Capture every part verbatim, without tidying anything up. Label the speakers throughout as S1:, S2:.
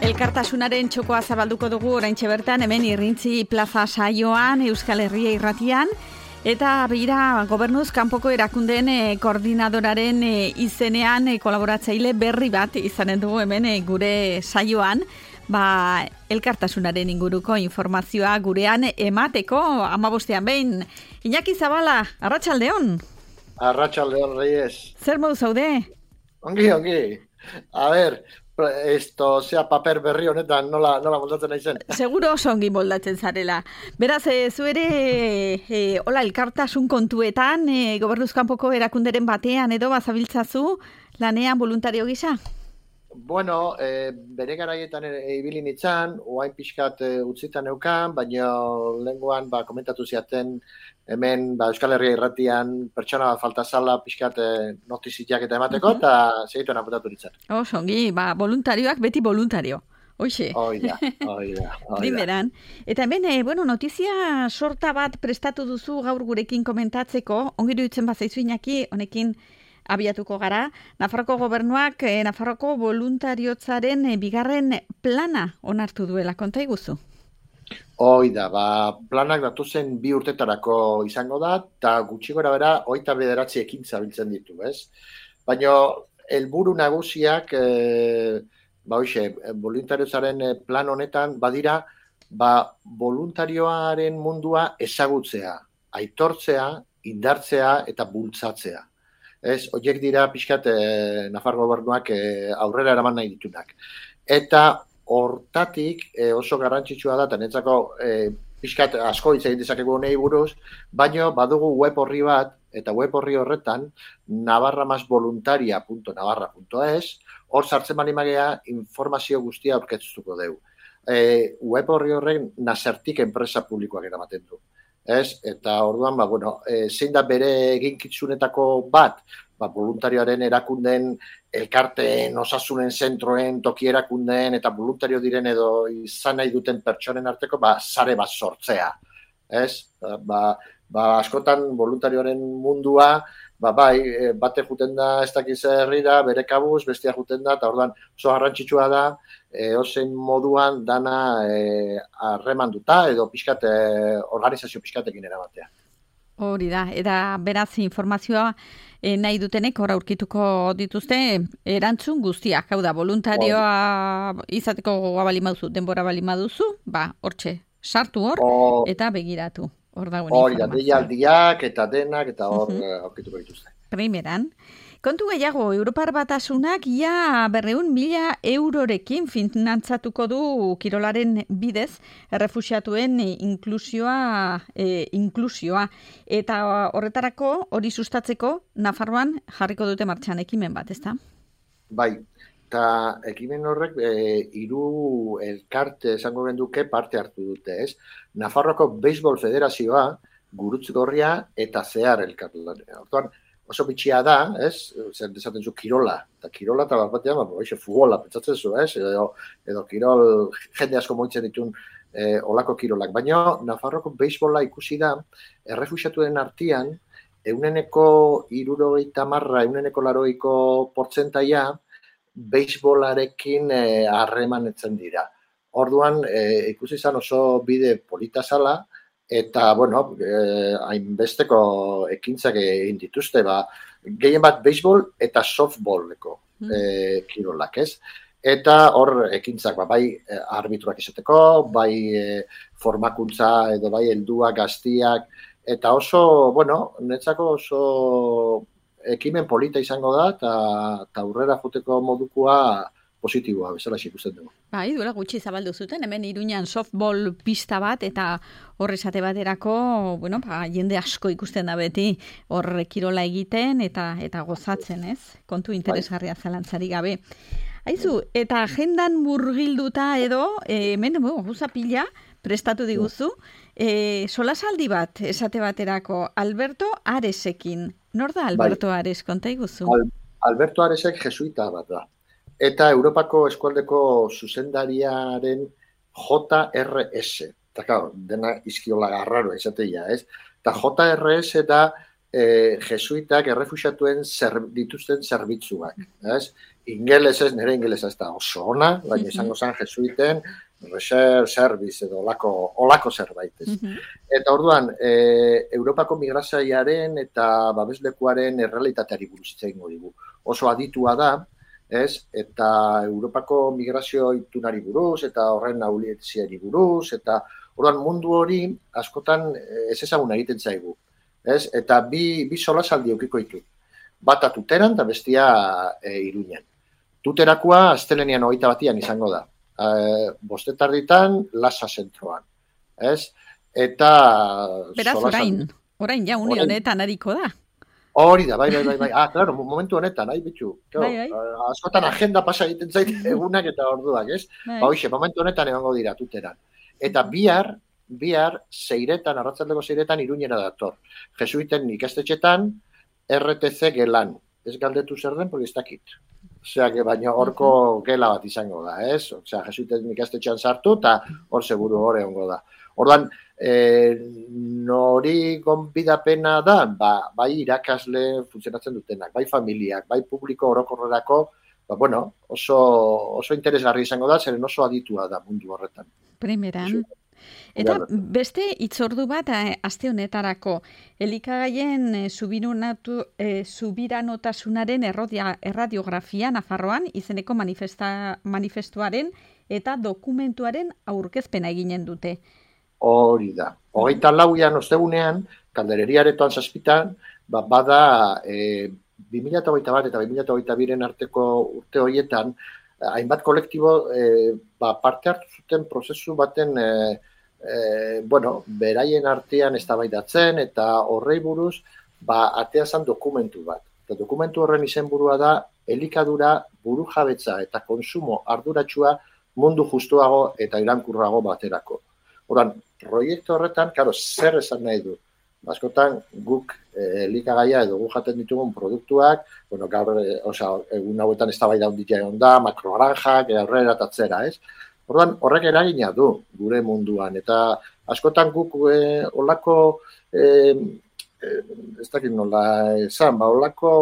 S1: Elkartasunaren txokoa zabalduko dugu oraintxe bertan, hemen Irrintzi plaza saioan, Euskal Herria irratian, eta begira gobernuz kanpoko erakundeen e, koordinadoraren e, izenean e, kolaboratzaile berri bat izanen dugu hemen e, gure saioan, ba, elkartasunaren inguruko informazioa gurean emateko hamabostean behin. Iñaki Zabala, arratsaldeon.
S2: Arratsaldeon, Reyes.
S1: Zer modu zaude?
S2: Ongi, ongi. A ver, esto, sea paper berri honetan, nola, nola moldatzen naizen.
S1: Seguro oso ongi moldatzen zarela. Beraz, e, zu ere, e, hola, elkartasun kontuetan, e, gobernuz kanpoko erakunderen batean edo bazabiltzazu lanean voluntario gisa?
S2: Bueno, e, bere garaietan ibili nitzan, oain pixkat e, utzitan neukan, baina lenguan ba, komentatu ziaten hemen ba, Euskal Herria irratian pertsona bat falta zala pixkat e, notiziak eta emateko, eta uh-huh. segituen apuntatu nitzan.
S1: Oso, ongi, ba, voluntarioak beti voluntario. Hoxe.
S2: Oida, oida, oida.
S1: Primeran. Eta hemen, e, bueno, notizia sorta bat prestatu duzu gaur gurekin komentatzeko, ongi iruditzen bazaizu Iñaki, honekin abiatuko gara. Nafarroko gobernuak eh, Nafarroko voluntariotzaren eh, bigarren plana onartu duela, konta iguzu?
S2: Hoi da, ba, planak datu zen bi urtetarako izango da, eta gutxi gora bera, hogeita bederatzi ekintza biltzen ditu, ez? Baina, helburu nagusiak, e, ba, hoxe, voluntariotzaren plan honetan, badira, ba, voluntarioaren mundua ezagutzea, aitortzea, indartzea eta bultzatzea. Ez, horiek dira pixkat e, Nafar gobernuak e, aurrera eraman nahi ditunak. Eta hortatik e, oso garrantzitsua da, eta netzako e, pixkat asko hitz egin dezakegu honei buruz, baino badugu web horri bat, eta web horri horretan, navarra mas voluntaria punto navarra punto es, hor sartzen bali magea informazio guztia aurkeztuko dugu. E, web horri horren Nasertik enpresa publikoak eramaten du. Ez? Eta orduan, ba, bueno, e, zein da bere eginkitzunetako bat, ba, voluntarioaren erakundeen, elkarteen, osasunen zentroen, toki erakundeen, eta voluntario diren edo izan nahi duten pertsonen arteko, ba, sare bat sortzea. Ez? Ba, ba, askotan voluntarioaren mundua, ba, bai, bate juten da ez dakiz herrira, bere kabuz, bestia juten da, eta orduan oso garrantzitsua da, e, ozen moduan dana harremanduta e, edo pixkat, e, organizazio pixkatekin erabatea.
S1: Hori da, eta beraz informazioa e, nahi dutenek hor aurkituko dituzte erantzun guztiak, hau da, voluntarioa izateko gogoa bali maduzu, denbora bali maduzu, ba, hortxe, sartu hor, o... eta begiratu. Hor da,
S2: hori da, deialdiak eta denak eta hor uh-huh. aurkituko dituzte.
S1: Primeran, kontu gehiago, Europar Batasunak ia berreun mila eurorekin finantzatuko du kirolaren bidez errefuxiatuen inklusioa, e, inklusioa. Eta horretarako hori sustatzeko Nafarroan jarriko dute martxan ekimen bat, ezta?
S2: Bai. Eta ekimen horrek e, hiru elkarte esango genduke parte hartu dute, ez? Nafarroako Beisbol Federazioa, Gurutz Gorria eta Zehar elkarte. Orduan, oso bitxia da, ez? Zer desaten zu kirola. Eta kirola eta bat batean, ba, eixe, futbola, pentsatzen zu, ez? Edo, edo kirol jende asko moitzen ditun e, olako kirolak. Baina Nafarroako Beisbola ikusi da, errefuxiatuen artean, euneneko hirurogeita marra, euneneko laroiko portzentaia, beisbolarekin harremanetzen e, dira. Orduan, e, ikusi izan oso bide polita zala, eta, bueno, e, hainbesteko ekintzak egin dituzte, ba, gehien bat beisbol eta softballeko e, kirolak, ez? Eta hor ekintzak, ba, bai arbitruak izateko, bai e, formakuntza edo bai helduak, gaztiak, eta oso, bueno, netzako oso ekimen polita izango da, eta aurrera joteko modukoa positiboa, bezala ikusten dugu.
S1: Bai, duela gutxi zabaldu zuten, hemen Iruñan softball pista bat, eta hor esate baterako, bueno, ba, jende asko ikusten da beti, hor kirola egiten, eta eta gozatzen, ez? Kontu interesgarria zalantzari gabe. Aizu, eta agendan murgilduta edo, hemen, bueno, guza pila, prestatu diguzu, e, solasaldi bat, esate baterako, Alberto Aresekin. Nor da Alberto bai. Ares, konta iguzu?
S2: Al, Alberto Aresek jesuita bat da. Eta Europako eskualdeko zuzendariaren J R S. Eta, claro, dena izkiola garraro esateia, ez? Eta J R S da e, jesuitak errefuxiatuen zer, dituzten zerbitzuak, ez? ingelesez, nire ingelesa ez da oso ona, baina izango zen jesuiten research service edo olako, olako zerbait. Ez. Eta orduan, e, Europako migrazioaren eta babeslekuaren errealitateari buruz hitz egingo digu. Oso aditua da, ez? Eta Europako migrazio itunari buruz, eta horren aulietziari buruz, eta orduan mundu hori askotan ez ezaguna egiten zaigu. Ez? Eta bi, bi solasaldi eukiko ditu. Bata Tuteran eta bestia e, Iruñan. Tuterakoa astelenian hogeita batian izango da. E, bostetarditan Lasa zentroan. Ez? Eta...
S1: Beraz, orain, orain ja uni honetan ariko da.
S2: Hori da, bai, bai, bai, bai. Ah, claro, momentu honetan, nahi bitxu.
S1: Bai, bai.
S2: Askotan agenda pasa egiten zait egunak eta orduak, ez?
S1: Bai.
S2: Ba, hoxe, momentu honetan egongo dira Tuteran. Eta bihar, bihar, zeiretan, arratzaldeko zeiretan, Iruñera dator. Jesuiten ikastetxetan, R T C gelan. Ez galdetu zer den, porque ez dakit. Osea, baina horko gela bat izango da, ez? Osea, jesuiten ikastetxean sartu, eta hor seguru hor egongo da. Orduan, e, nori gonbidapena da, ba, bai irakasle funtzionatzen dutenak, bai familiak, bai publiko orokorrerako, ba, bueno, oso, oso interesgarri izango da, zeren oso aditua da mundu horretan.
S1: Primeran. Eta beste itzordu bat aste honetarako, elikagaien e, subirunatu, e, subiranotasunaren errodia, erradiografia Nafarroan izeneko manifesta, manifestuaren eta dokumentuaren aurkezpena eginen dute.
S2: Hori da. Hogeita lauian ostegunean, kaldereriaretoan zazpitan, ba, bada e, bi mila hogeita bat eta bi mila hogeita biren arteko urte horietan, hainbat kolektibo e, ba, parte hartu zuten prozesu baten e, e, bueno, beraien artean eztabaidatzen eta horrei buruz ba, atea zen dokumentu bat. Eta dokumentu horren izenburua da elikadura, burujabetza eta konsumo arduratsua mundu justuago eta iraunkorrago baterako. Oran, proiektu horretan, karo, zer esan nahi du? Askotan guk e, elikagaia edo guk jaten ditugun produktuak, bueno, gaur, e, oza, egun hauetan eztabaida handia egon da, makroaranjak, aurrera eta atzera, ez? Orduan, horrek eragina du gure munduan, eta askotan guk e, olako, e, e, ez dakit nola esan, ba, olako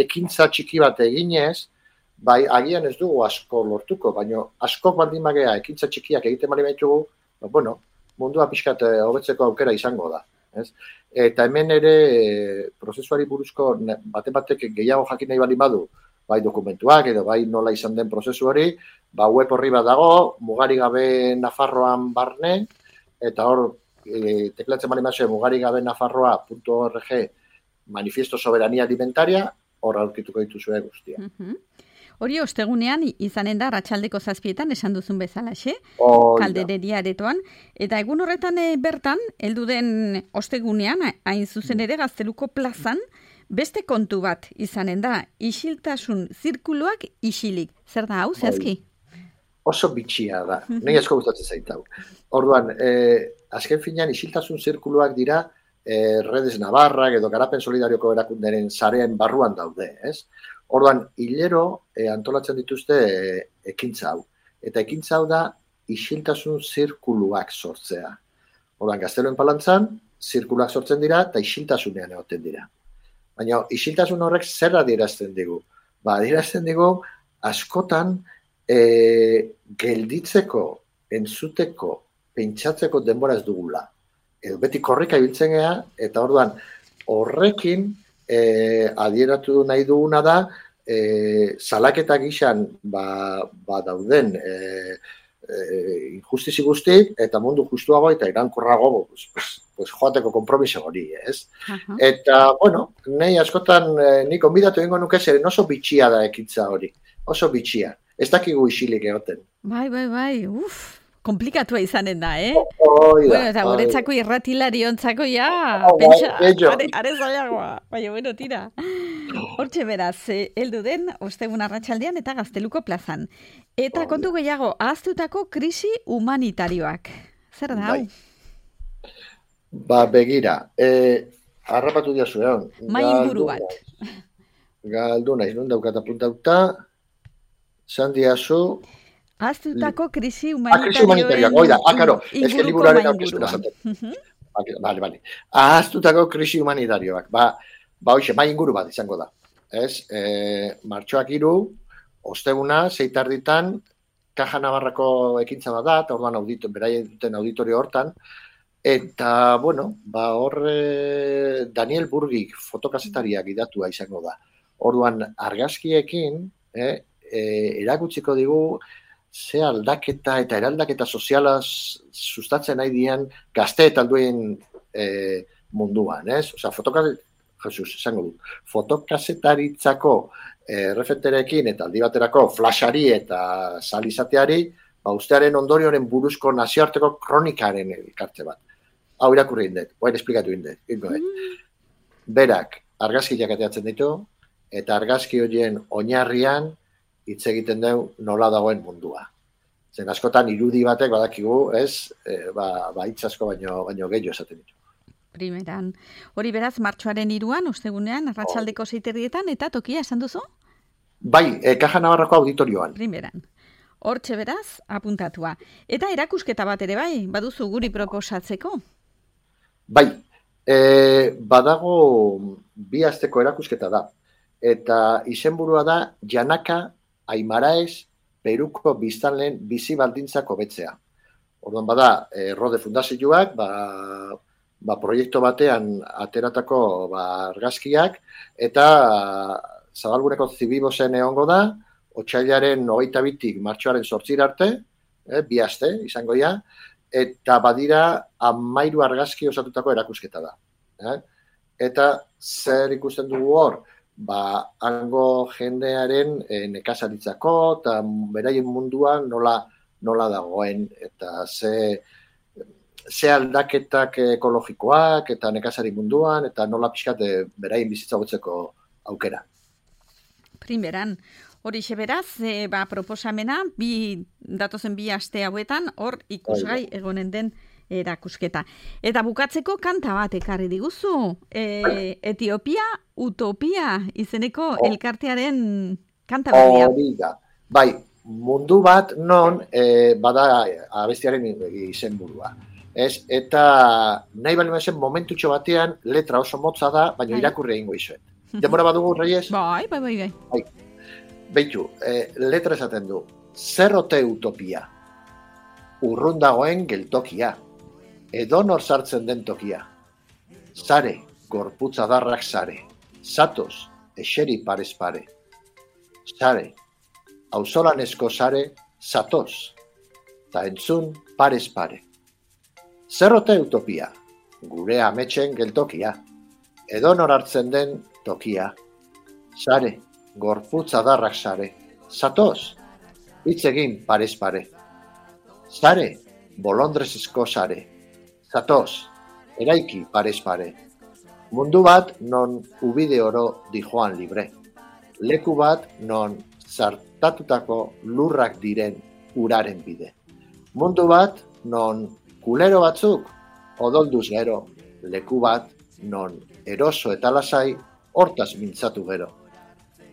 S2: ekintza txiki bat eginez, bai, agian ez dugu asko lortuko, baina askok baldin bagea ekintza txikiak egiten bali baitugu, ba, bueno, mundua pixkat hobetzeko aukera izango da. Ez? Eta hemen ere e, prozesuari buruzko bate batek gehiago jakin nahi bali badu, bai dokumentuak edo bai nola izan den prozesu hori, ba web horri bat dago, mugari gabe Nafarroan barne, eta hor e, teklatzen bali mazue mugari gabe nafarroa punto org manifiesto soberania alimentaria, hor aurkituko dituzue guztia.
S1: Uh-huh. Hori ostegunean izanen da arratsaldeko zazpietan esan duzun bezalaxe, kaldereria aretoan, eta egun horretan e, bertan, heldu den ostegunean, hain zuzen ere Gazteluko plazan, beste kontu bat izanen da, isiltasun zirkuluak isilik. Zer da hau, zehazki?
S2: Oso bitxia da, nahi asko gustatzen zait hau. Orduan, e, azken finean isiltasun zirkuluak dira, e, Redes Navarrak edo Garapen Solidarioko erakunderen sarean barruan daude, ez? Orduan, hilero e, antolatzen dituzte e, ekintza hau. Eta ekintza hau da isiltasun zirkuluak sortzea. Orduan, Gazteluen Palantzan, zirkuluak sortzen dira eta isiltasunean egoten dira. Baina, isiltasun horrek zer adierazten digu? Ba, adierazten digu, askotan e, gelditzeko, entzuteko, pentsatzeko denbora ez dugula. Edo beti korrika ibiltzen gea, eta orduan, horrekin, E, adieratu nahi duguna da, e, salaketa gixan ba, ba dauden e, e, injustizi guzti, eta mundu justuago eta irankorrago pues, pues, pues, joateko konpromiso hori, ez? Uh-huh. Eta, bueno, nahi askotan e, nik onbidatu egingo nuke zeren oso bitxia da ekintza hori, oso bitxia. Ez dakigu isilik egoten.
S1: Bai, bai, bai, uff. Komplikatua izanen da, eh?
S2: Oida,
S1: bueno, eta guretzako irratilari ontzako ja,
S2: oh,
S1: pentsa,
S2: are,
S1: are, are zailagoa. Baina, bueno, tira. Hortxe beraz, heldu den, ostegun arratsaldean eta Gazteluko plazan. Eta oh, kontu gehiago, ahaztutako krisi humanitarioak. Zer da, hau?
S2: Bai. Ba, begira, eh, harrapatu diazu, egon.
S1: Mai inguru bat.
S2: Galdu naiz, non daukat apuntauta, zan diazu...
S1: Ahaztutako krisi
S2: humanitario. Ah, krisi humanitario, oida, ah, karo, ez que liburaren aurkezpena zaten. Vale, vale. Ahaztutako krisi humanitarioak. Ba, ba hoxe, mai inguru bat izango da. Ez, e, martxoak iru, osteguna, zeitarditan, Kaja Navarrako ekintza bat da, eta orduan audito, beraien duten auditorio hortan, eta, bueno, ba, hor eh, Daniel Burgik fotokazetariak idatua izango da. Orduan, argazkiekin, eh, eh, erakutsiko digu, ze aldaketa eta eraldaketa soziala sustatzen nahi dian gazte eta alduen eh, munduan, ez? Osea, fotokazetariak, Jesus, esango dut, fotokazetaritzako eh, referenterekin eta aldi baterako flashari eta salizateari, ba, ustearen ondorioren buruzko nazioarteko kronikaren elkarte bat. Hau irakurri indet, oain esplikatu indet. Berak, argazkiak ateatzen ditu, eta argazki horien oinarrian hitz egiten du nola dagoen mundua. Zen askotan irudi batek badakigu, ez, e, ba, ba hitz asko baino, baino gehiago esaten ditu.
S1: Primeran. Hori beraz, martxoaren hiruan, ostegunean, arratsaldeko zeiterrietan, eta tokia esan duzu?
S2: Bai, e, Kaja Navarrako auditorioan.
S1: Primeran. Hortxe beraz, apuntatua. Eta erakusketa bat ere bai, baduzu guri proposatzeko?
S2: Bai, e, badago bi asteko erakusketa da. Eta izenburua da Janaka Aimaraez Peruko biztanleen bizi baldintzak hobetzea. Orduan bada, e, Rode Fundazioak, ba, ba, proiektu batean ateratako ba, argazkiak, eta Zabalguneko Zibibosen egongo da, otsailaren hogeita bitik martxoaren zortzira arte, eh, bi aste izango ja, eta badira hamairu argazki osatutako erakusketa da. Eh? Eta zer ikusten dugu hor? Ba, hango jendearen e, nekazaritzako eta beraien munduan nola, nola dagoen, eta ze, ze aldaketak ekologikoak eta nekazari munduan, eta nola pixkat beraien bizitza hobetzeko aukera.
S1: Primeran, hori beraz, e, ba, proposamena, bi, datozen bi aste hauetan, hor ikusgai egonen den erakusketa. Eta bukatzeko kanta bat ekarri diguzu, e, Etiopia Utopia izeneko oh. elkartearen kanta berria.
S2: Hori da. Bai, mundu bat non e, bada abestiaren izenburua. Ez, eta nahi bali mazen momentutxo batean letra oso motza da, baina irakurri egingo izuet. Demora badugu, Reyes?
S1: Bai, bai, bai, bai.
S2: bai. Beitu, e, letra esaten du, zerrote utopia, urrun dagoen geltokia, edonor sartzen den tokia, sare, gorputza darrak sare, zatoz, eseri parez pare, sare, auzolanezko sare, zatoz, ta entzun parez pare. Zerrote utopia, gure ametxen geltokia, edonor hartzen den tokia, sare, gorputza darrak sare, zatoz, hitz egin parez pare, sare, bolondrezezko sare, zatoz, eraiki parez pare, mundu bat non ubide oro dijoan libre, leku bat non zartatutako lurrak diren uraren bide, mundu bat non kulero batzuk odolduz gero, leku bat non eroso eta lasai hortaz mintzatu gero,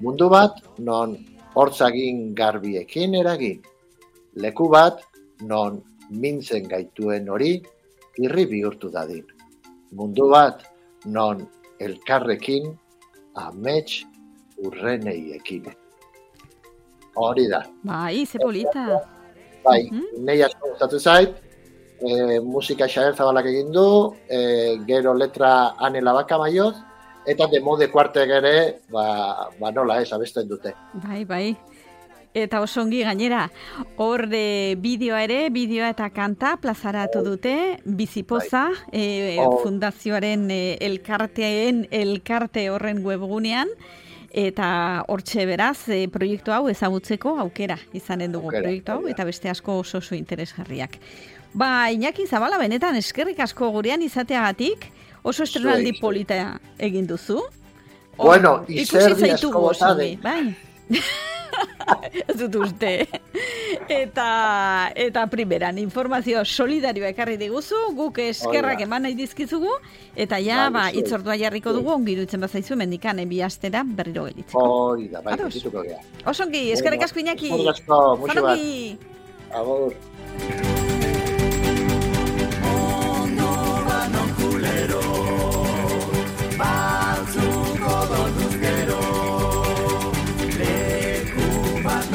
S2: mundu bat non hortzagin garbiekin eragin, leku bat non mintzen gaituen hori irri bihurtu dadin, mundu bat non elkarrekin amets urreneiekin. Hori da.
S1: Bai, ze polita.
S2: Bai, uh-huh. Nei asko gustatzen zait, e, musika Xabier Zabalak egin du, e, gero letra Ane Labaka Maioz, eta Demode Kuartek ere, ba, ba nola ez, abesten dute.
S1: Bai, bai. Eta oso ongi gainera, hor de bideoa ere, bideoa eta kanta plazaratu dute, Bizipoza, e, oh. fundazioaren e, elkarteen, elkarte horren webgunean, eta hortxe beraz, e, proiektu hau ezagutzeko aukera izanen dugu aukera, proiektu hau, aukera. Eta beste asko oso oso interesgarriak. Ba, Iñaki Zabala, benetan eskerrik asko gurean izateagatik, oso estrenaldi polita egin duzu.
S2: O, bueno, izerdi asko botade.
S1: Bai. Ez dut uste. Eta, eta primeran, informazio solidarioa ekarri diguzu, guk eskerrak eman nahi dizkizugu, eta ja, ba, itzordua jarriko dugu, ongi dutzen bazaizu, mendikan, bi astera berriro gelitzeko.
S2: Hori da, bai, bizituko gea.
S1: Osongi, eskerrik asko Iñaki.
S2: Eskerrik asko, musu bat. Agur. Batzuko donduz gero, leku bat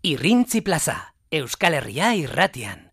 S3: Irrintzi plaza, Euskal Herria irratian.